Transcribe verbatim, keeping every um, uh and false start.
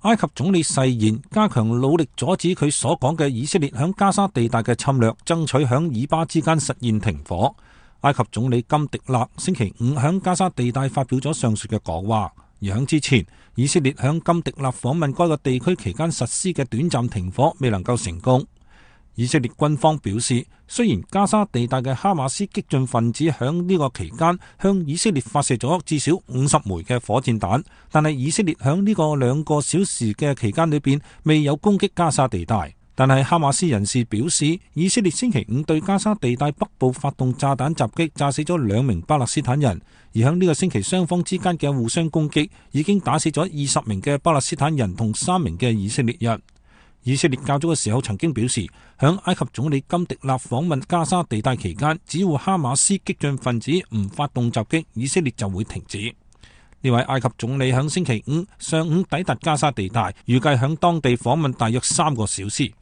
埃及總理誓言加強努力阻止佢所講嘅以色列響加沙地帶嘅侵略，爭取響以巴之間實現停火。埃及總理金迪勒星期五響加沙地帶發表咗上述嘅講話，而響之前，以色列響金迪勒訪問該個地區期間實施嘅短暫停火未能夠成功。以色列軍方表示，雖然加沙地帶嘅哈馬斯激進分子響呢個期間向以色列發射咗至少五十枚嘅火箭彈，但係以色列響呢個兩個小時嘅期間裏邊未有攻擊加沙地帶。但係哈馬斯人士表示，以色列星期五對加沙地帶北部發動炸彈襲擊，炸死咗兩名巴勒斯坦人，而響呢個星期雙方之間嘅互相攻擊已經打死咗二十名嘅巴勒斯坦人同三名嘅以色列人。以色列較早嘅時候曾經表示，響埃及總理金迪勒訪問加沙地帶期間，只要哈馬斯激進分子唔發動襲擊，以色列就會停止。呢位埃及總理響星期五上午抵達加沙地帶，預計響當地訪問大約三個小時。